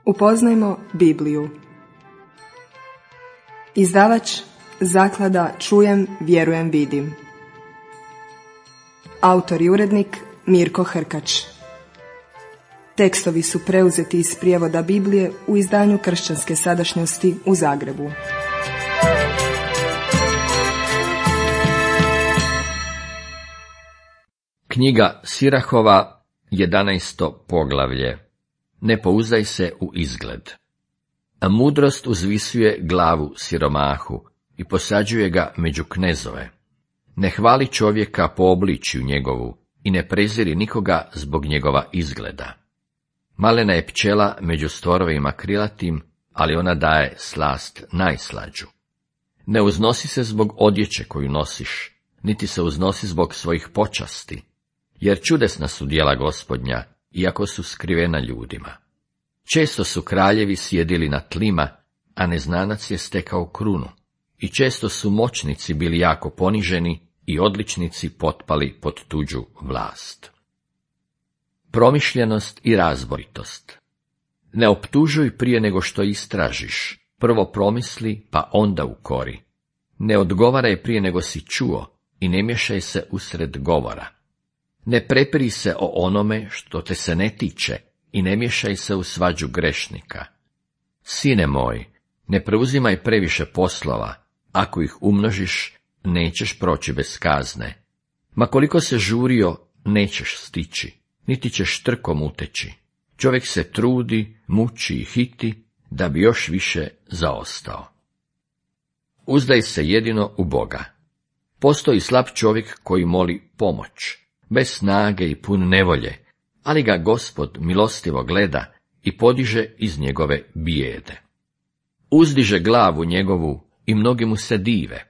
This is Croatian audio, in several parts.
Upoznajmo Bibliju. Izdavač Zaklada Čujem, vjerujem, vidim. Autor i urednik Mirko Hrkač. Tekstovi su preuzeti iz prijevoda Biblije u izdanju Kršćanske sadašnjosti u Zagrebu. Knjiga Sirahova, 11. poglavlje. Ne pouzdaj se u izgled. A mudrost uzvisuje glavu siromahu i posađuje ga među knezove. Ne hvali čovjeka po obličju njegovu i ne preziri nikoga zbog njegova izgleda. Malena je pčela među stvorovima krilatim, ali ona daje slast najslađu. Ne uznosi se zbog odjeće koju nosiš, niti se uznosi zbog svojih počasti, jer čudesna su djela Gospodnja, iako su skrivena ljudima. Često su kraljevi sjedili na tlima, a neznanac je stekao krunu, i često su moćnici bili jako poniženi i odličnici potpali pod tuđu vlast. Promišljenost i razboritost. Ne optužuj prije nego što istražiš, prvo promisli, pa onda ukori. Ne odgovaraj prije nego si čuo i ne miješaj se usred govora. Ne prepiri se o onome što te se ne tiče i ne miješaj se u svađu grešnika. Sine moj, ne preuzimaj previše poslova, ako ih umnožiš, nećeš proći bez kazne. Ma koliko se žurio, nećeš stići, niti ćeš trkom uteći. Čovjek se trudi, muči i hiti, da bi još više zaostao. Uzdaj se jedino u Boga. Postoji slab čovjek koji moli pomoć, bez snage i pun nevolje, ali ga Gospod milostivo gleda i podiže iz njegove bijede. Uzdiže glavu njegovu i mnogi mu se dive.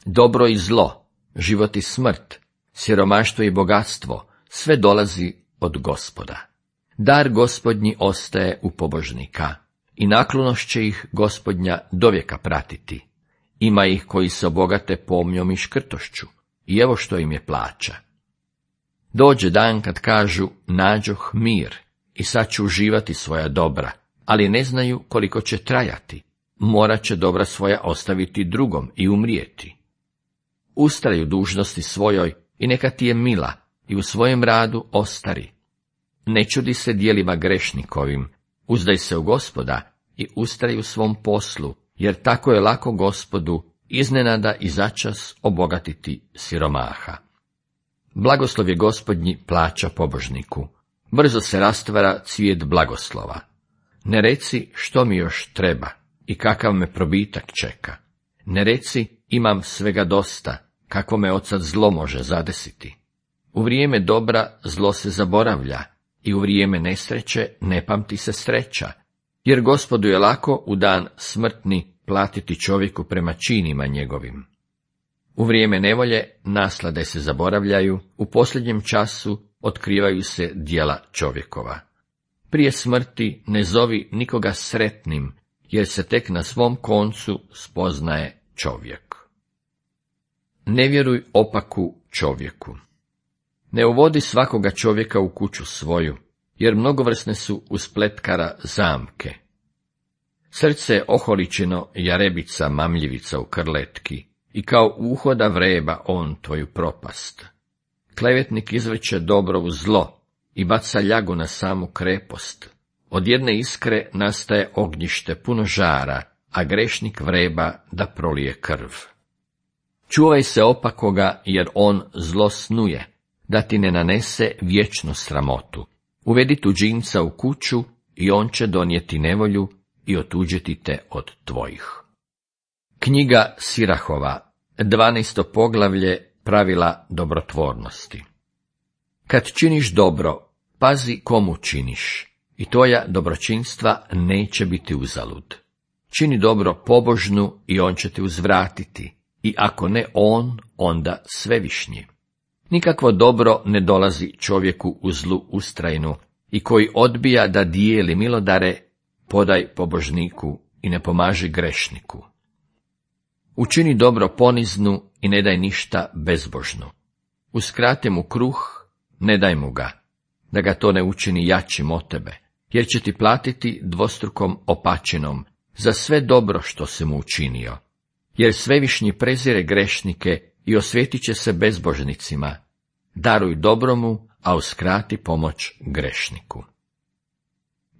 Dobro i zlo, život i smrt, siromaštvo i bogatstvo, sve dolazi od Gospoda. Dar Gospodnji ostaje u pobožnika i naklonost će ih Gospodnja dovijeka pratiti. Ima ih koji se obogate pomnjom i škrtošću, i evo što im je plaća. Dođe dan kad kažu, nađoh mir i sad ću uživati svoja dobra, ali ne znaju koliko će trajati. Morat će dobra svoja ostaviti drugom i umrijeti. Ustraj u dužnosti svojoj i neka ti je mila i u svojem radu ostari. Ne čudi se djelima grešnikovim, uzdaj se u Gospoda i ustraj u svom poslu, jer tako je lako Gospodu iznenada i začas obogatiti siromaha. Blagoslov je Gospodnji plaća pobožniku, brzo se rastvara cvijet blagoslova. Ne reci što mi još treba i kakav me probitak čeka. Ne reci imam svega dosta, kako me odsad zlo može zadesiti. U vrijeme dobra zlo se zaboravlja i u vrijeme nesreće ne pamti se sreća, jer Gospodu je lako u dan smrtni platiti čovjeku prema činima njegovim. U vrijeme nevolje naslade se zaboravljaju, u posljednjem času otkrivaju se djela čovjekova. Prije smrti ne zovi nikoga sretnim, jer se tek na svom koncu spoznaje čovjek. Ne vjeruj opaku čovjeku. Ne uvodi svakoga čovjeka u kuću svoju, jer mnogovrsne su u spletkara zamke. Srce je oholičeno jarebica mamljivica u krletki, i kao uhoda vreba on tvoju propast. Klevetnik izvrće dobro u zlo i baca ljagu na samu krepost. Od jedne iskre nastaje ognjište puno žara, a grešnik vreba da prolije krv. Čuvaj se opakoga, jer on zlo snuje, da ti ne nanese vječnu sramotu. Uvedi tuđinca u kuću i on će donijeti nevolju i otuđiti te od tvojih. Knjiga Sirahova, 12. poglavlje, pravila dobrotvornosti. Kad činiš dobro, pazi komu činiš, i tvoja dobročinstva neće biti uzalud. Čini dobro pobožnu i on će te uzvratiti, i ako ne on, onda svevišnji. Nikakvo dobro ne dolazi čovjeku u zlu ustrajnu, i koji odbija da dijeli milodare, podaj pobožniku i ne pomaži grešniku. Učini dobro poniznu i ne daj ništa bezbožnu. Uskrati mu kruh, ne daj mu ga, da ga to ne učini jačim od tebe, jer će ti platiti dvostrukom opačinom za sve dobro što si mu učinio. Jer Svevišnji prezire grešnike i osvjetit će se bezbožnicima. Daruj dobromu, a uskrati pomoć grešniku.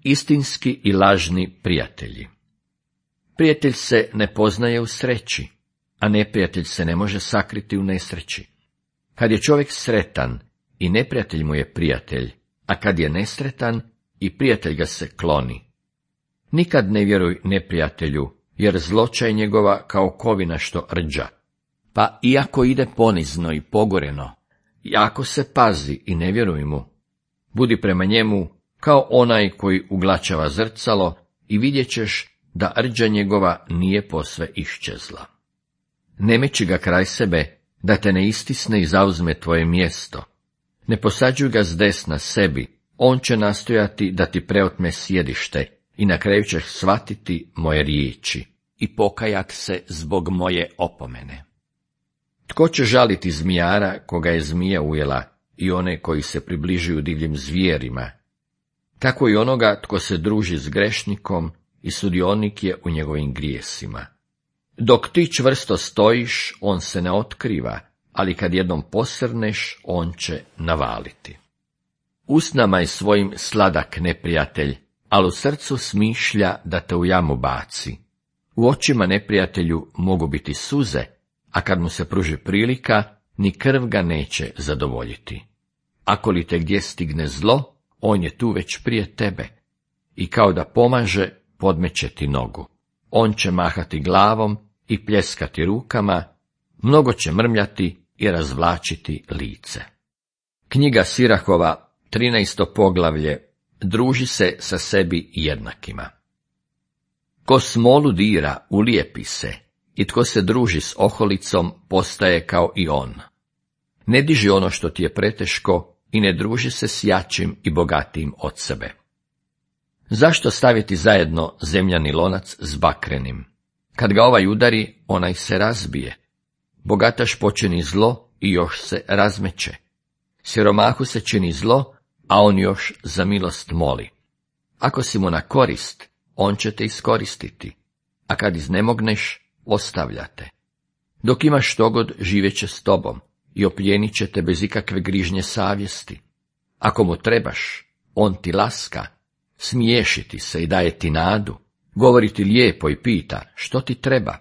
Istinski i lažni prijatelji. Prijatelj se ne poznaje u sreći, a neprijatelj se ne može sakriti u nesreći. Kad je čovjek sretan, i neprijatelj mu je prijatelj, a kad je nesretan, i prijatelj ga se kloni. Nikad ne vjeruj neprijatelju, jer zloća je njegova kao kovina što rđa. Pa iako ide ponizno i pogoreno, i ako se pazi i ne vjeruj mu, budi prema njemu kao onaj koji uglačava zrcalo i vidjet ćeš da rđa njegova nije posve iščezla. Ne meći ga kraj sebe, da te ne istisne i zauzme tvoje mjesto. Ne posađuj ga s desna sebi, on će nastojati da ti preotme sjedište i na kraju ćeš shvatiti moje riječi i pokajat se zbog moje opomene. Tko će žaliti zmijara koga je zmija ujela i one koji se približuju divljim zvijerima? Tako i onoga tko se druži s grešnikom i sudionik je u njegovim grijesima. Dok ti čvrsto stojiš, on se ne otkriva, ali kad jednom posrneš, on će navaliti. Usnama je svojim sladak neprijatelj, ali u srcu smišlja da te u jamu baci. U očima neprijatelju mogu biti suze, a kad mu se pruži prilika, ni krv ga neće zadovoljiti. Ako li te gdje stigne zlo, on je tu već prije tebe, i kao da pomaže, podmeće ti nogu. On će mahati glavom i pljeskati rukama, mnogo će mrmljati i razvlačiti lice. Knjiga Sirahova, 13. poglavlje, druži se sa sebi jednakima. Ko smolu dira, ulijepi se, i tko se druži s oholicom, postaje kao i on. Ne diži ono što ti je preteško i ne druži se s jačim i bogatijim od sebe. Zašto staviti zajedno zemljani lonac s bakrenim? Kad ga ovaj udari, onaj se razbije. Bogataš počini zlo i još se razmeće. Siromahu se čini zlo, a on još za milost moli. Ako si mu na korist, on će te iskoristiti, a kad iznemogneš, ostavljate. Dok imaš štogod, živeće s tobom i opljenit će te bez ikakve grižnje savjesti. Ako mu trebaš, on ti laska, smiješiti se i daje ti nadu, govori ti lijepo i pita što ti treba,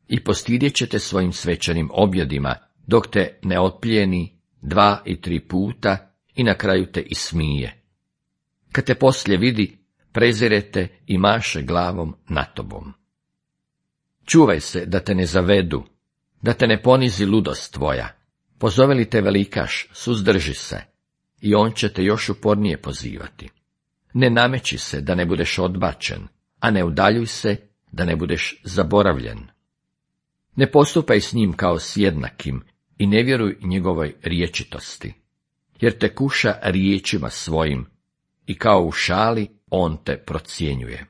i postidjet će te svojim svečanim objedima, dok te ne otplijeni 2 i 3 puta i na kraju te ismije. Kad te poslije vidi, prezirete i maše glavom na tobom. Čuvaj se da te ne zavedu, da te ne ponizi ludost tvoja. Pozove li te velikaš, suzdrži se, i on će te još upornije pozivati. Ne nameći se da ne budeš odbačen, a ne udaljuj se da ne budeš zaboravljen. Ne postupaj s njim kao s jednakim i ne vjeruj njegovoj riječitosti, jer te kuša riječima svojim i kao u šali on te procjenjuje.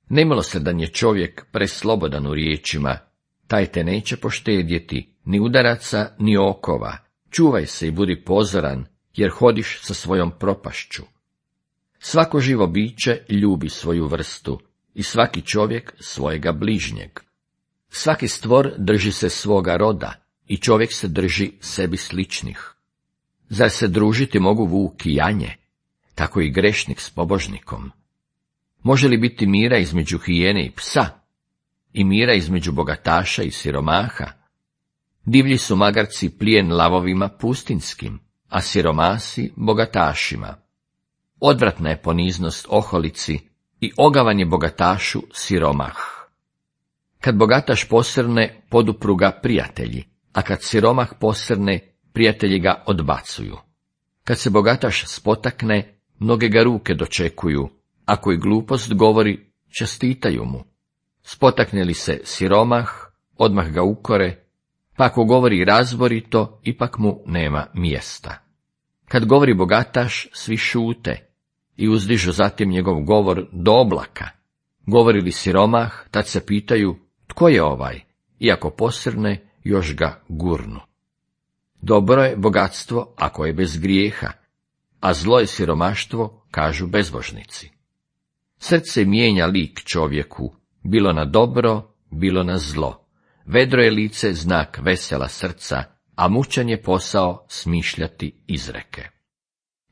Nemilosredan je čovjek preslobodan u riječima, taj te neće poštedjeti ni udaraca ni okova. Čuvaj se i budi pozoran, jer hodiš sa svojom propašću. Svako živo biće ljubi svoju vrstu i svaki čovjek svojega bližnjeg. Svaki stvor drži se svoga roda i čovjek se drži sebi sličnih. Zar se družiti mogu vuk i janje, tako i grešnik s pobožnikom? Može li biti mira između hijene i psa, i mira između bogataša i siromaha? Divlji su magarci plijen lavovima pustinskim, a siromasi bogatašima. Odvratna je poniznost oholici i ogavan je bogatašu siromah. Kad bogataš posrne, podupru ga prijatelji, a kad siromah posrne, prijatelji ga odbacuju. Kad se bogataš spotakne, mnoge ga ruke dočekuju, ako i glupost govori, čestitaju mu. Spotakne li se siromah, odmah ga ukore, pa ako govori razborito, ipak mu nema mjesta. Kad govori bogataš, svi šute i uzdižu zatim njegov govor do oblaka. Govori li siromah, tad se pitaju, tko je ovaj, iako posrne, još ga gurnu. Dobro je bogatstvo ako je bez grijeha, a zlo je siromaštvo, kažu bezbožnici. Srce mijenja lik čovjeku, bilo na dobro, bilo na zlo. Vedro je lice znak vesela srca, a mučan je posao smišljati izreke.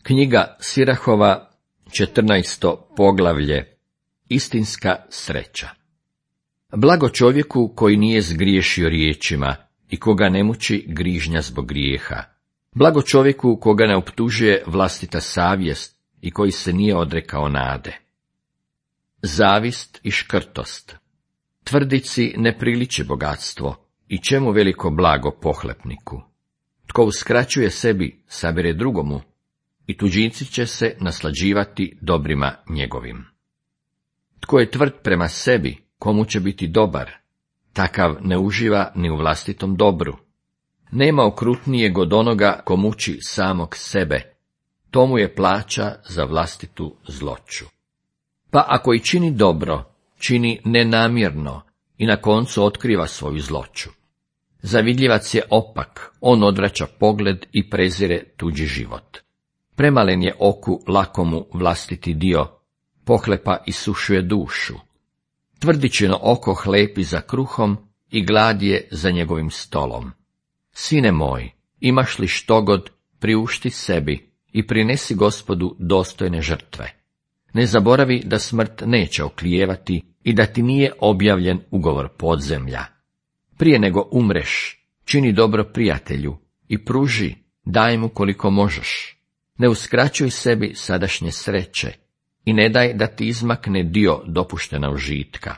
Knjiga Sirahova, 14. poglavlje. Istinska sreća. Blago čovjeku koji nije zgriješio riječima i koga ne muči grižnja zbog grijeha. Blago čovjeku koga ne optužuje vlastita savjest i koji se nije odrekao nade. Zavist i škrtost. Tvrdici ne priliči bogatstvo i čemu veliko blago pohlepniku. Tko uskraćuje sebi, sabire drugomu i tuđinci će se naslađivati dobrima njegovim. Tko je tvrd prema sebi, komu će biti dobar, takav ne uživa ni u vlastitom dobru. Nema okrutnijeg od onoga ko muči samog sebe, tomu je plaća za vlastitu zloću. Pa ako i čini dobro, čini nenamjerno i na koncu otkriva svoju zloću. Zavidljivac je opak, on odvraća pogled i prezire tuđi život. Premalen je oku lakomu vlastiti dio, pohlepa isušuje dušu. Tvrdičino oko hlepi za kruhom i glad je za njegovim stolom. Sine moj, imaš li štogod, priušti sebi i prinesi Gospodu dostojne žrtve. Ne zaboravi da smrt neće oklijevati i da ti nije objavljen ugovor podzemlja. Prije nego umreš, čini dobro prijatelju i pruži, daj mu koliko možeš. Ne uskraćuj sebi sadašnje sreće i ne daj da ti izmakne dio dopuštena užitka.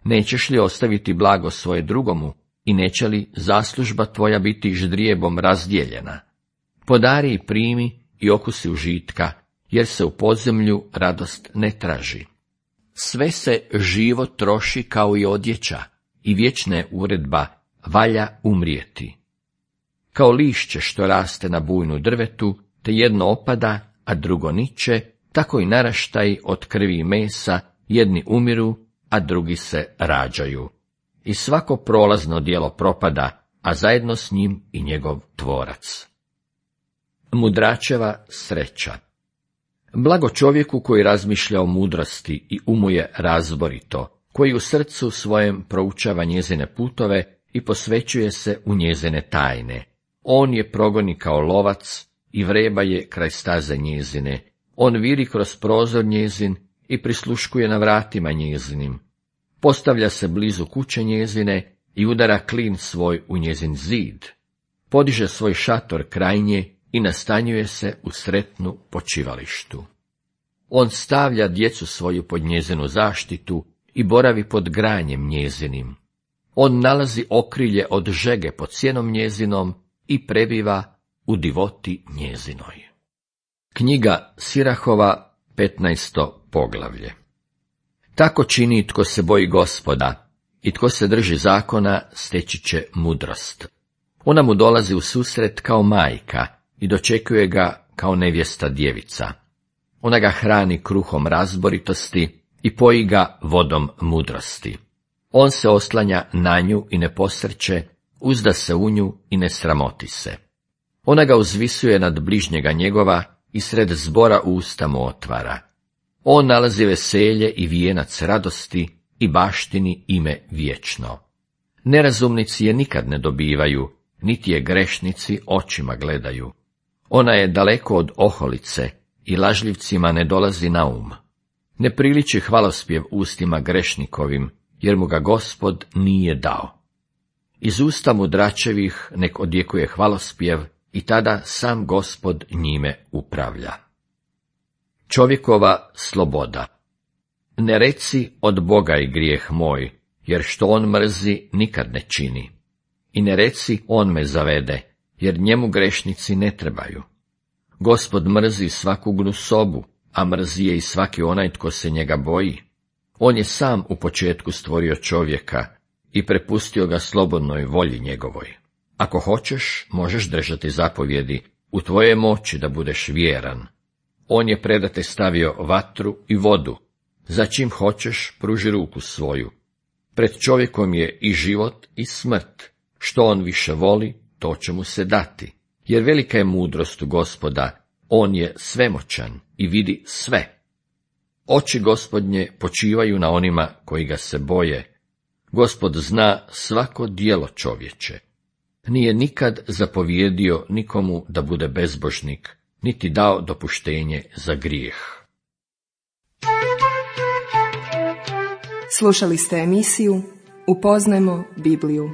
Nećeš li ostaviti blago svoje drugomu i neće li zaslužba tvoja biti ždrijebom razdijeljena? Podari i primi i okusi užitka, jer se u podzemlju radost ne traži. Sve se živo troši kao i odjeća i vječna je uredba, valja umrijeti. Kao lišće što raste na bujnu drvetu, te jedno opada, a drugo niče, tako i naraštaji od krvi i mesa, jedni umiru, a drugi se rađaju. I svako prolazno djelo propada, a zajedno s njim i njegov tvorac. Mudračeva sreća. Blago čovjeku koji razmišlja o mudrosti i umuje razborito, koji u srcu svojem proučava njezine putove i posvećuje se u njezine tajne. On je progoni kao lovac i vreba je kraj staze njezine. On viri kroz prozor njezin i prisluškuje na vratima njezinim. Postavlja se blizu kuće njezine i udara klin svoj u njezin zid. Podiže svoj šator kraj nje i nastanjuje se u sretnu počivalištu. On stavlja djecu svoju pod njezinu zaštitu i boravi pod granjem njezinim. On nalazi okrilje od žege pod sjenom njezinom i prebiva u divoti njezinoj. Knjiga Sirahova, 15. poglavlje. Tako čini tko se boji Gospoda i tko se drži zakona, steći će mudrost. Ona mu dolazi u susret kao majka i dočekuje ga kao nevjesta djevica. Ona ga hrani kruhom razboritosti i poji ga vodom mudrosti. On se oslanja na nju i ne posrće, uzda se u nju i ne sramoti se. Ona ga uzvisuje nad bližnjega njegova i sred zbora usta mu otvara. On nalazi veselje i vijenac radosti i baštini ime vječno. Nerazumnici je nikad ne dobivaju, niti je grešnici očima gledaju. Ona je daleko od oholice i lažljivcima ne dolazi na um. Ne priliči hvalospjev ustima grešnikovim, jer mu ga Gospod nije dao. Iz usta mudračevih nek odjekuje hvalospjev i tada sam Gospod njime upravlja. Čovjekova sloboda. Ne reci od Boga je grijeh moj, jer što on mrzi nikad ne čini. I ne reci on me zavede, jer njemu grešnici ne trebaju. Gospod mrzi svaku gnusobu, a mrzi je i svaki onaj tko se njega boji. On je sam u početku stvorio čovjeka i prepustio ga slobodnoj volji njegovoj. Ako hoćeš, možeš držati zapovjedi, u tvojoj moći da budeš vjeran. On je predate stavio vatru i vodu, za čim hoćeš pruži ruku svoju. Pred čovjekom je i život i smrt, što on više voli, to će mu se dati. Jer velika je mudrost u Gospoda, On je svemoćan i vidi sve. Oči Gospodnje počivaju na onima koji ga se boje. Gospod zna svako djelo čovječe. Nije nikad zapovjedio nikomu da bude bezbožnik, niti dao dopuštenje za grijeh. Slušali ste emisiju Upoznajmo Bibliju.